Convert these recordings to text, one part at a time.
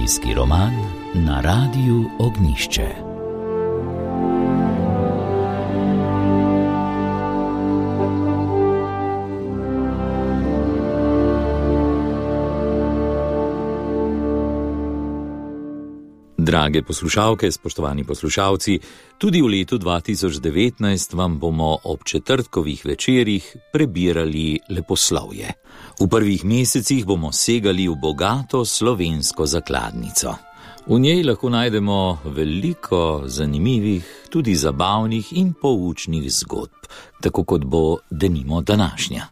Slovenski roman na Radiu Ognjišče. Drage poslušalke, spoštovani poslušalci, tudi v letu 2019 vam bomo ob četrtkovih večerih prebirali leposlovje. V prvih mesecih bomo segali v bogato slovensko zakladnico. V njej lahko najdemo veliko zanimivih, tudi zabavnih in poučnih zgodb, tako kot bo denimo današnja.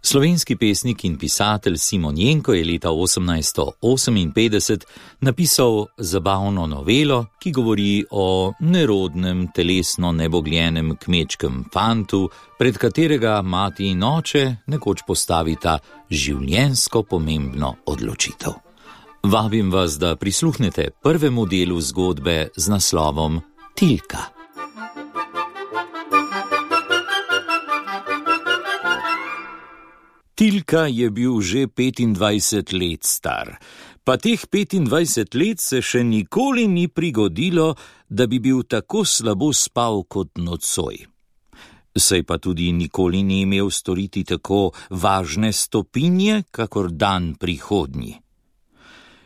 Slovenski pesnik in pisatelj Simon Jenko je leta 1858 napisal zabavno novelo, ki govori o nerodnem, telesno nebogljenem kmečkem fantu, pred katerega mati in oče nekoč postavita življenjsko pomembno odločitev. Vabim vas, da prisluhnete prvemu delu zgodbe z naslovom Tilka. Tilka je bil že 25 let star, pa teh 25 let se še nikoli ni prigodilo, da bi bil tako slabo spal kot nocoj. Saj pa tudi nikoli ni imel storiti tako važne stopinje, kakor dan prihodnji.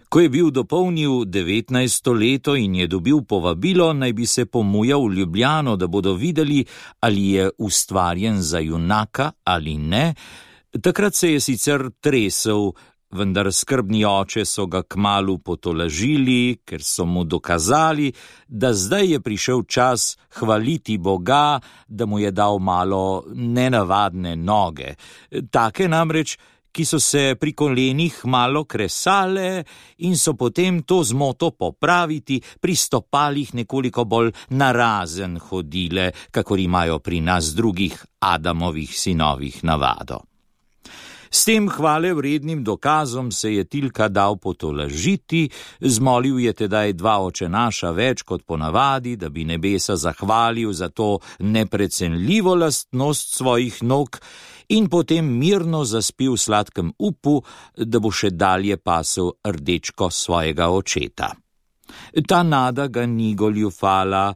Ko je bil dopolnil 19. leto in je dobil povabilo, naj bi se pomujal v Ljubljano, da bodo videli, ali je ustvarjen za junaka ali ne. Takrat se je sicer tresel, vendar skrbni oče so ga kmalu potolažili, ker so mu dokazali, da zdaj je prišel čas hvaliti Boga, da mu je dal malo nenavadne noge. Take namreč, ki so se pri kolenih malo kresale in so potem to zmoto popraviti pri stopalih nekoliko bolj narazen hodile, kakor imajo pri nas drugih Adamovih sinovih navado. S tem hvalevrednim dokazom se je Tilka dal potolažiti, zmolil je tedaj 2 očenaša več kot ponavadi, da bi nebesa zahvalil za to neprecenljivo lastnost svojih nog in potem mirno zaspil v sladkem upu, da bo še dalje pasel rdečko svojega očeta. Ta nada ga ni goljufala.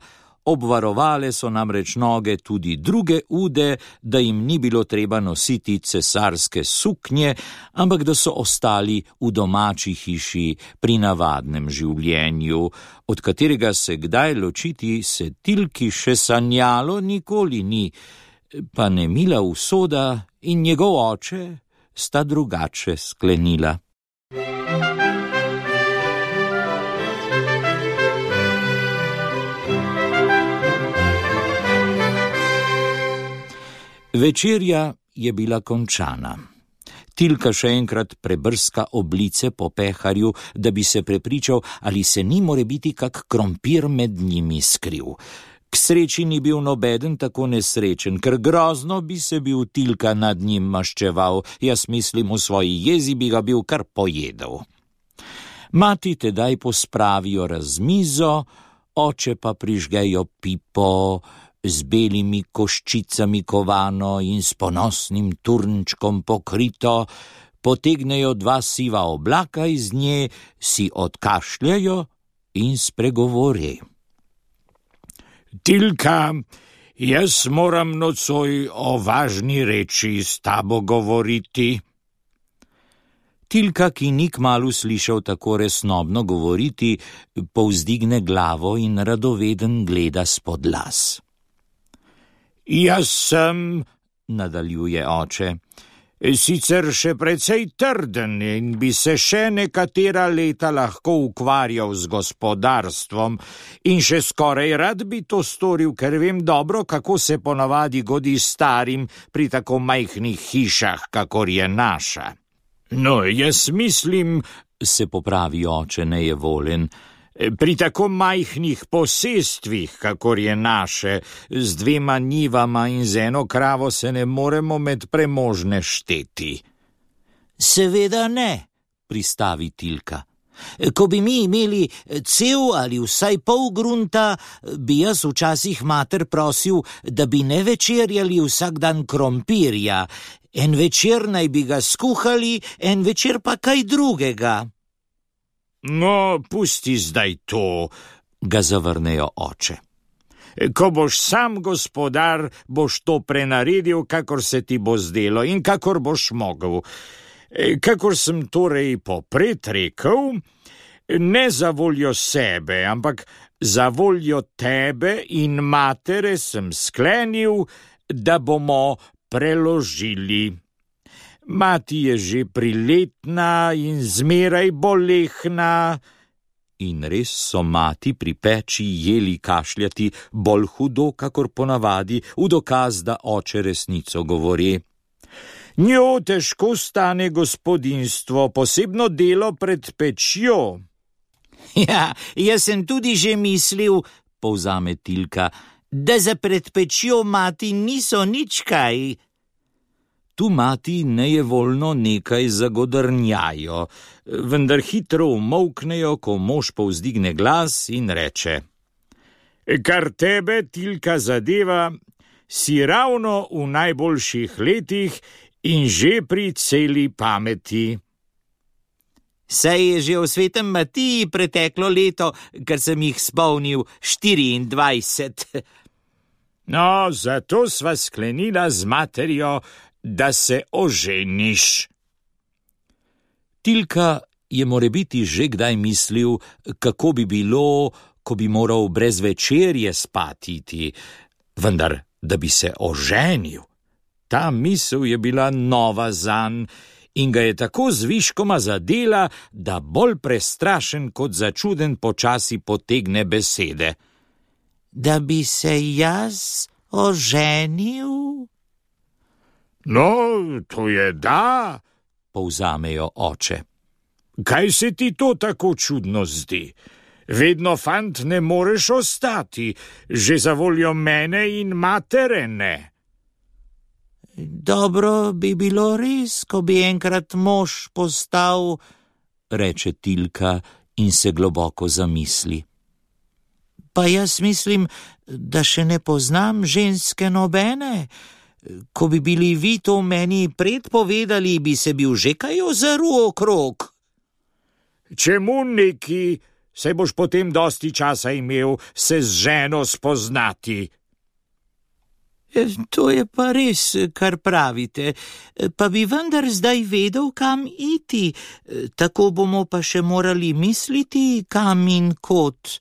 Obvarovale so namreč noge tudi druge ude, da jim ni bilo treba nositi cesarske suknje, ampak da so ostali v domači hiši pri navadnem življenju, od katerega se kdaj ločiti se Tilki še sanjalo nikoli ni, pa nemila usoda in njegov oče sta drugače sklenila. Večerja je bila končana. Tilka še enkrat prebrska oblice po peharju, da bi se prepričal, ali se ni morebiti kak krompir med njimi skril. K sreči ni bil nobeden tako nesrečen, ker grozno bi se bil Tilka nad njim maščeval, jaz mislim, v svoji jezi bi ga bil kar pojedel. Mati tedaj pospravijo razmizo, oče pa prižgejo pipo, z belimi koščicami kovano in s ponosnim turnčkom pokrito, potegnejo 2 siva oblaka iz nje, si odkašljajo in spregovori. Tilka, jaz moram nocoj o važni reči s tabo govoriti. Tilka, ki ni kmalu slišal tako resnobno govoriti, povzdigne glavo in radoveden gleda spod las. Jaz sem, nadaljuje oče, sicer še precej trden in bi se še nekatera leta lahko ukvarjal z gospodarstvom in še skoraj rad bi to storil, ker vem dobro, kako se ponavadi godi starim pri tako majhnih hišah, kakor je naša. No, jaz mislim, se popravi oče nejevoljen, pri tako majhnih posestvih, kakor je naše, z 2 njivama in z 1 kravo se ne moremo med premožne šteti. Seveda ne, pristavi Tilka. Ko bi mi imeli cel ali vsaj pol grunta, bi jaz včasih mater prosil, da bi ne večerjali vsak dan krompirja. En večer naj bi ga skuhali, en večer pa kaj drugega. No, pusti zdaj to, ga zavrnejo oče. Ko boš sam gospodar, boš to prenaredil, kakor se ti bo zdelo in kakor boš mogel. Kakor sem torej popred rekel, ne za voljo sebe, ampak za voljo tebe in matere sem sklenil, da bomo preložili. Mati je že priletna in zmeraj bolehna. In res so mati pri peči jeli kašljati bolj hudo, kakor ponavadi, v dokaz, da oče resnico govori. Njo težko stane gospodinjstvo, posebno delo pred pečjo. Ja, jaz sem tudi že mislil, povzame Tilka, da za pred pečjo mati niso nič kaj. Tu mati nejevoljno nekaj zagodrnjajo, vendar hitro umolknejo, ko mož povzdigne glas in reče: Kar tebe, Tilka, zadeva, si ravno v najboljših letih in že pri celi pameti. Saj je že v svetem Matiji preteklo leto, ker sem jih spomnil 24. No, zato sva sklenila z materjo, da se oženiš. Tilka je morebiti že kdaj mislil, kako bi bilo, ko bi moral brez večerje spatiti, vendar da bi se oženil. Ta misel je bila nova zanj in ga je tako zviškoma zadela, da bolj prestrašen kot začuden počasi potegne besede. Da bi se jaz oženil? No, to je da, povzamejo oče. Kaj se ti to tako čudno zdi? Vedno, fant, ne moreš ostati, že za voljo mene in matere ne. Dobro bi bilo res, ko bi enkrat mož postal, reče Tilka in se globoko zamisli. Pa jaz mislim, da še ne poznam ženske nobene. Ko bi bili vi to meni predpovedali, bi se bil že kaj ozrl okrog. Čemu neki, saj boš potem dosti časa imel se z ženo spoznati. To je pa res, kar pravite, pa bi vendar zdaj vedel, kam iti, tako bomo pa še morali misliti, kam in kot.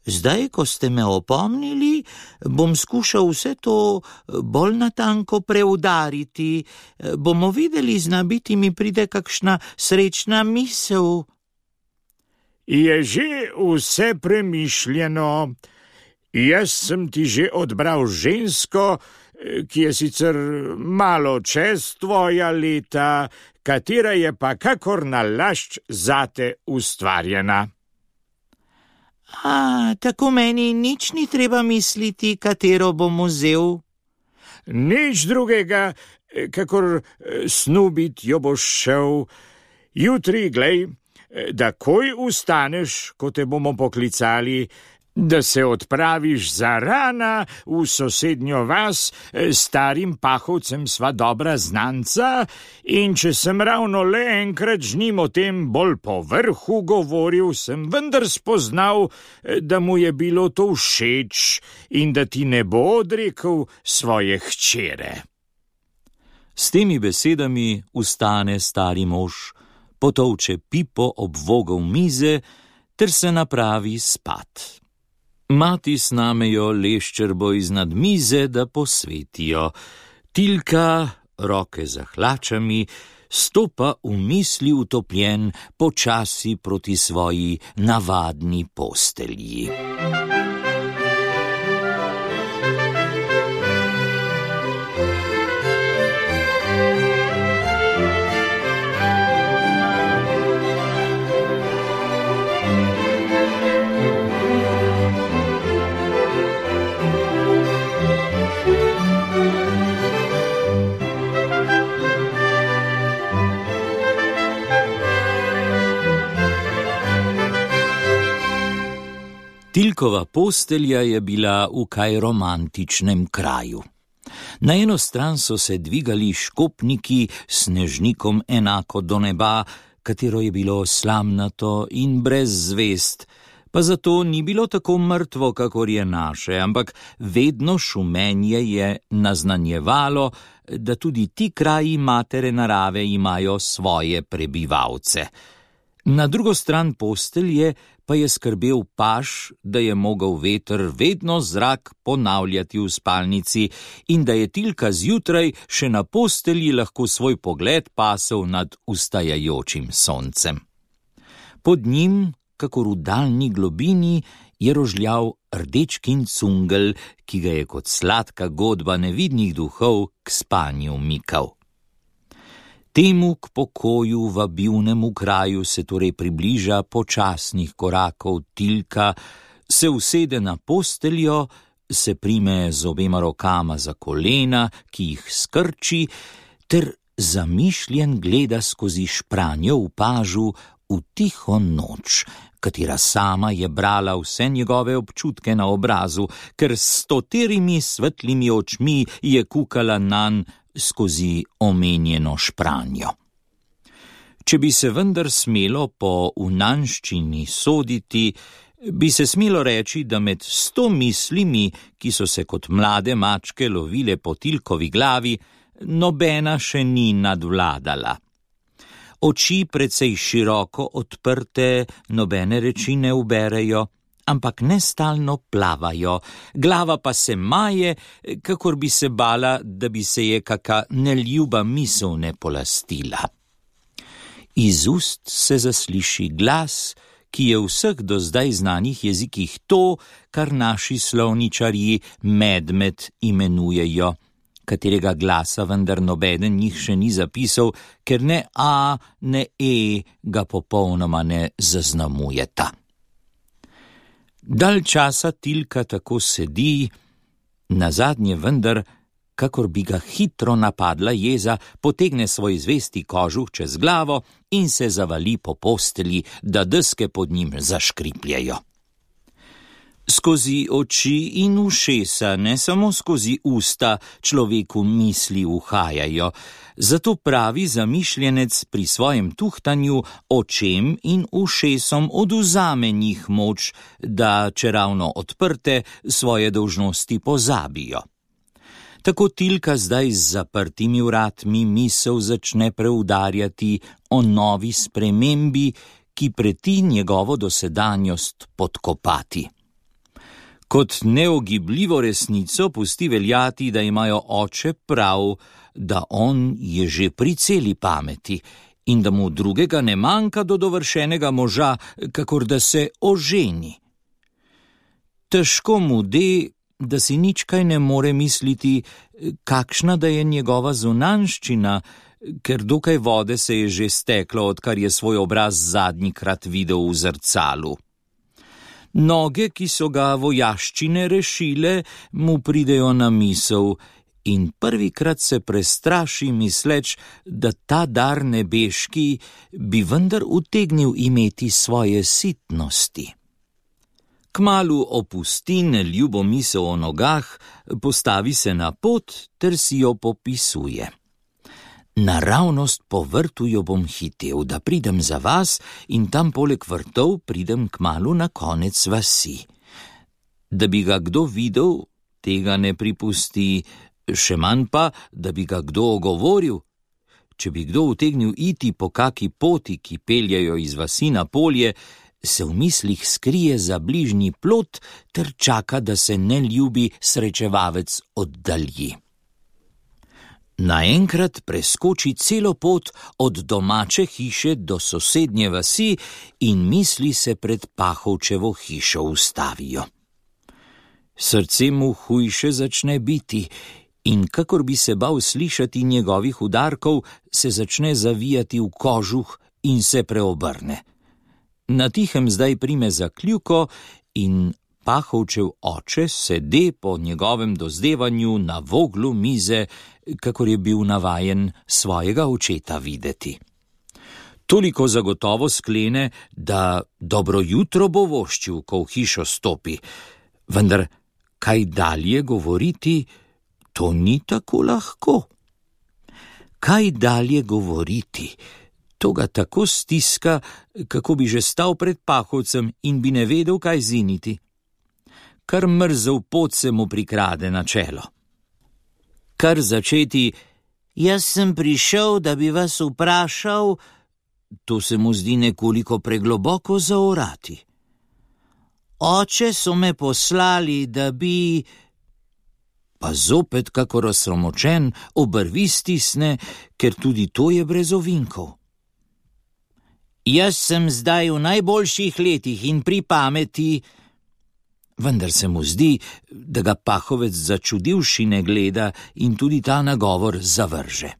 Zdaj, ko ste me opomnili, bom skušal vse to bolj natanko preudariti. Bomo videli, zna biti mi pride kakšna srečna misel. Je že vse premišljeno. Jaz sem ti že odbral žensko, ki je sicer malo čez tvoja leta, katera je pa kakor nalašč zate ustvarjena. Tako meni nič ni treba misliti, katero bom vzel. Nič drugega, kakor snubit jo boš šel. Jutri, glej, da koj ustaneš, ko te bomo poklicali, da se odpraviš za rana v sosednjo vas, starim pahovcem sva dobra znanca, in če sem ravno le enkrat z njim o tem bolj po vrhu govoril, sem vendar spoznal, da mu je bilo to všeč in da ti ne bo odrekel svoje hčere. S temi besedami vstane stari mož, potolče pipo ob vogel mize ter se napravi spat. Mati snamejo leščerbo iznad mize, da posvetijo. Tilka, roke za hlačami, stopa v misli utopljen počasi proti svoji navadni postelji. Tilkova postelja je bila v kaj romantičnem kraju. Na eno stran so se dvigali škopniki s snežnikom enako do neba, katero je bilo slamnato in brez zvest, pa zato ni bilo tako mrtvo, kakor je naše, ampak vedno šumenje je naznanjevalo, da tudi ti kraji matere narave imajo svoje prebivalce. Na drugo stran postelje pa je skrbel paž, da je mogel veter vedno zrak ponavljati v spalnici in da je Tilka zjutraj še na postelji lahko svoj pogled pasel nad vstajajočim soncem. Pod njim, kakor v daljni globini, je rožljal rdečkin cungel, ki ga je kot sladka godba nevidnih duhov k spanju mikal. Temu k pokoju vabilnemu kraju se torej približa počasnih korakov Tilka, se usede na posteljo, se prime z obema rokama za kolena, ki jih skrči, ter zamišljen gleda skozi špranjo v pažu v tiho noč, katera sama je brala vse njegove občutke na obrazu, ker s stoterimi svetlimi očmi je kukala nanj skozi omenjeno špranjo. Če bi se vendar smelo po unanščini soditi, bi se smelo reči, da med 100 mislimi, ki so se kot mlade mačke lovile po Tilkovi glavi, nobena še ni nadvladala. Oči precej široko odprte, nobene reči ne uberejo, ampak nestalno plavajo, glava pa se maje, kakor bi se bala, da bi se je kaka neljuba misel ne polastila. Iz ust se zasliši glas, ki je v vseh do zdaj znanih jezikih to, kar naši slovničarji medmet imenujejo, katerega glasa vendar nobeden njih še ni zapisal, ker ne A, ne E ga popolnoma ne zaznamujeta. Dalj časa Tilka tako sedi, nazadnje vendar, kakor bi ga hitro napadla jeza, potegne svoj zvesti kožuh čez glavo in se zavali po postelji, da deske pod njim zaškripljajo. Skozi oči in ušesa, ne samo skozi usta, človeku misli uhajajo, zato pravi zamišljenec pri svojem tuhtanju očem in ušesom odvzame njih moč, da, čeravno odprte, svoje dolžnosti pozabijo. Tako Tilka zdaj z zaprtimi vratmi misel začne preudarjati o novi spremembi, ki preti njegovo dosedanjost podkopati. Kot neogibljivo resnico pusti veljati, da imajo oče prav, da on je že pri celi pameti in da mu drugega ne manjka do dovršenega moža, kakor da se oženi. Težko mu de, da si nič kaj ne more misliti, kakšna da je njegova zunanščina, ker dokaj vode se je že steklo, odkar je svoj obraz zadnjikrat videl v zrcalu. Noge, ki so ga vojaščine rešile, mu pridejo na misel in prvikrat se prestraši misleč, da ta dar nebeški bi vendar utegnil imeti svoje sitnosti. Kmalu opusti neljubo misel o nogah, postavi se na pot ter si jo popisuje. Naravnost po vrtu jo bom hitel, da pridem za vas in tam poleg vrtov pridem kmalu na konec vasi. Da bi ga kdo videl, tega ne pripusti, še manj pa, da bi ga kdo ogovoril. Če bi kdo utegnil iti po kaki poti, ki peljajo iz vasi na polje, se v mislih skrije za bližnji plot ter čaka, da se neljubi srečevavec oddalji. Naenkrat preskoči celo pot od domače hiše do sosednje vasi in misli se pred Pahovčevo hišo ustavijo. Srce mu hujše začne biti in kakor bi se bal slišati njegovih udarkov, se začne zavijati v kožuh in se preobrne. Na tihem zdaj prime za kljuko in Pahovčev oče sede po njegovem dozdevanju na voglu mize, kakor je bil navajen svojega očeta videti. Toliko zagotovo sklene, da dobro jutro bo voščil, ko v hišo stopi, vendar kaj dalje govoriti, to ni tako lahko. Kaj dalje govoriti, To ga tako stiska, kako bi že stal pred pahovcem in bi ne vedel, kaj ziniti. Kar mrzel pot se mu prikrade na čelo. Kar začeti: "Jaz sem prišel, da bi vas vprašal," to se mu zdi nekoliko pregloboko zaorati. "Oče so me poslali, da bi..." Pa zopet, kakor osramočen, obrvi stisne, ker tudi to je brez ovinkov. "Jaz sem zdaj v najboljših letih in pri pameti," vendar se mu zdi, da ga pahovec začudivši ne gleda in tudi ta nagovor zavrže.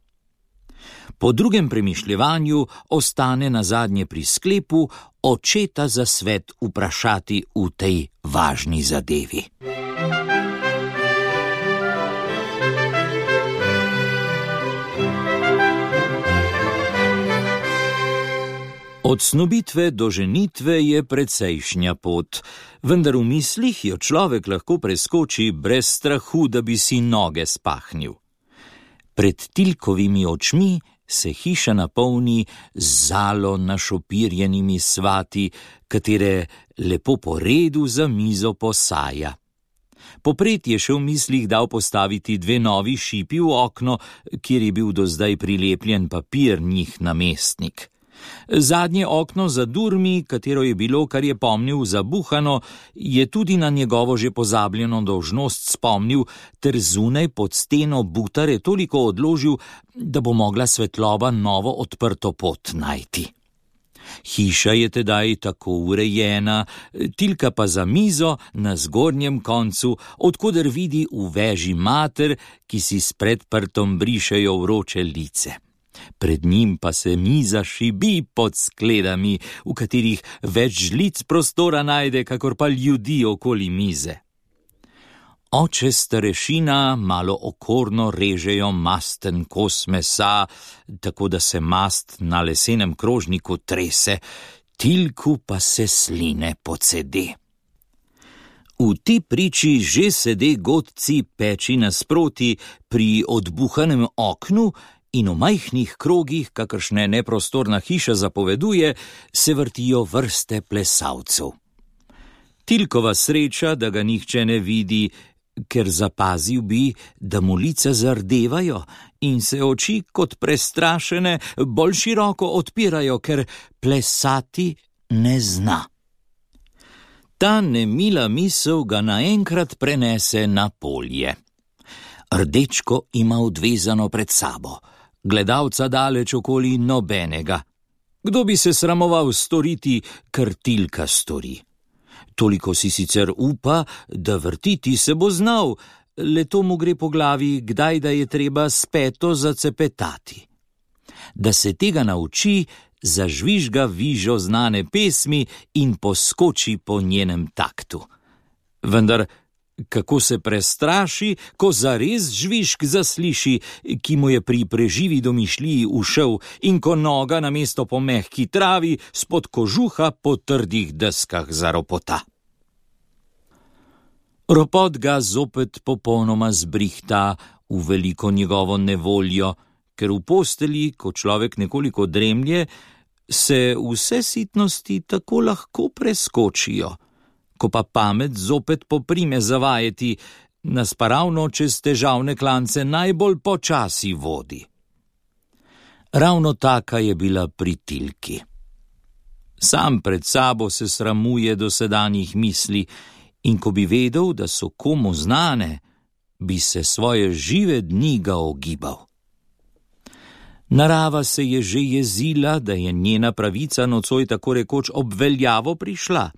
Po drugem premišljevanju ostane nazadnje pri sklepu očeta za svet vprašati v tej važni zadevi. Od snubitve do ženitve je precejšnja pot, vendar v mislih jo človek lahko preskoči brez strahu, da bi si noge spahnil. Pred Tilkovimi očmi se hiša napolni z zalo našopirjenimi svati, katere lepo po redu za mizo posaja. Popred je še v mislih dal postaviti 2 novi šipi v okno, kjer je bil do zdaj prilepljen papir njih namestnik. Zadnje okno za durmi, katero je bilo, kar je pomnil, zabuhano, je tudi na njegovo že pozabljeno dolžnost spomnil, ter zunaj pod steno butare toliko odložil, da bo mogla svetloba novo odprto pot najti. Hiša je tedaj tako urejena, Tilka pa za mizo na zgornjem koncu, odkoder vidi v veži mater, ki si s predprtom brišejo vroče lice. Pred njim pa se miza šibi pod skledami, v katerih več žlic prostora najde, kakor pa ljudi okoli mize. Oče starešina malo okorno režejo masten kos mesa, tako da se mast na lesenem krožniku trese, Tilku pa se sline pocede. V ti priči že sede godci peči nasproti pri odbuhanem oknu in v majhnih krogih, kakršne neprostorna hiša zapoveduje, se vrtijo vrste plesalcev. Tilkova sreča, da ga nihče ne vidi, ker zapazil bi, da mu lica zardevajo in se oči kot prestrašene bolj široko odpirajo, ker plesati ne zna. Ta nemila misel ga naenkrat prenese na polje. Rdečko ima odvezano pred sabo, gledalca daleč okoli nobenega. Kdo bi se sramoval storiti, kar Tilka stori? Toliko si sicer upa, da vrtiti se bo znal, le to mu gre po glavi, kdaj da je treba s peto zacepetati. Da se tega nauči, zažvižga vižo znane pesmi in poskoči po njenem taktu. Vendar kako se prestraši, ko zares žvižg zasliši, ki mu je pri preživi domišljiji ušel, in ko noga namesto po mehki travi spod kožuha po trdih deskah zaropota. Ropot ga zopet popolnoma zbrihta v veliko njegovo nevoljo, ker v posteli, ko človek nekoliko dremlje, se vse sitnosti tako lahko preskočijo. Ko pa pamet zopet poprime zavajeti, nas pa ravno čez težavne klance najbolj počasi vodi. Ravno taka je bila pri Tilki. Sam pred sabo se sramuje dosedanjih misli in ko bi vedel, da so komu znane, bi se svoje žive dni ga ogibal. Narava se je že jezila, da je njena pravica nocoj tako rekoč obveljavo prišla.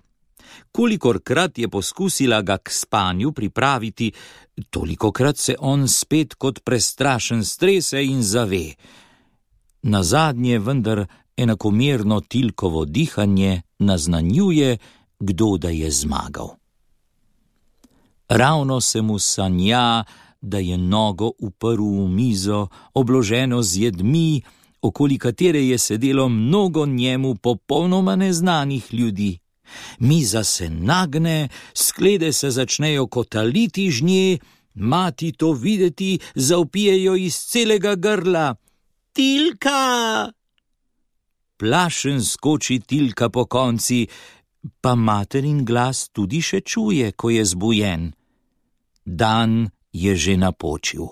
Kolikorkrat je poskusila ga k spanju pripraviti, tolikokrat se on spet kot prestrašen strese in zave. Nazadnje vendar enakomerno Tilkovo dihanje naznanjuje, kdo da je zmagal. Ravno se mu sanja, da je nogo uprl v mizo, obloženo z jedmi, okoli katere je sedelo mnogo njemu popolnoma neznanih ljudi. Miza se nagne, sklede se začnejo kotaliti z nje, mati to videti, zavpijejo iz celega grla: "Tilka!" plašen skoči Tilka po konci, pa materin glas tudi še čuje, ko je zbujen. Dan je že napočil.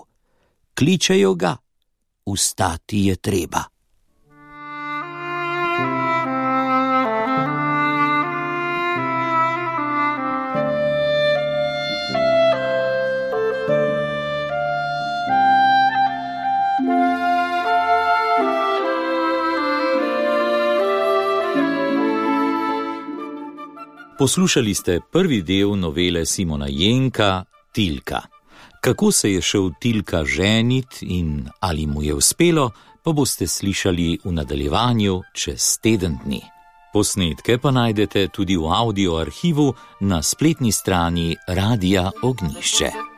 Kličejo ga, vstati je treba. Poslušali ste prvi del novele Simona Jenka Tilka. Kako se je šel Tilka ženit in ali mu je uspelo, pa boste slišali v nadaljevanju čez teden dni. Posnetke pa najdete tudi v audio arhivu na spletni strani Radia Ognjišče.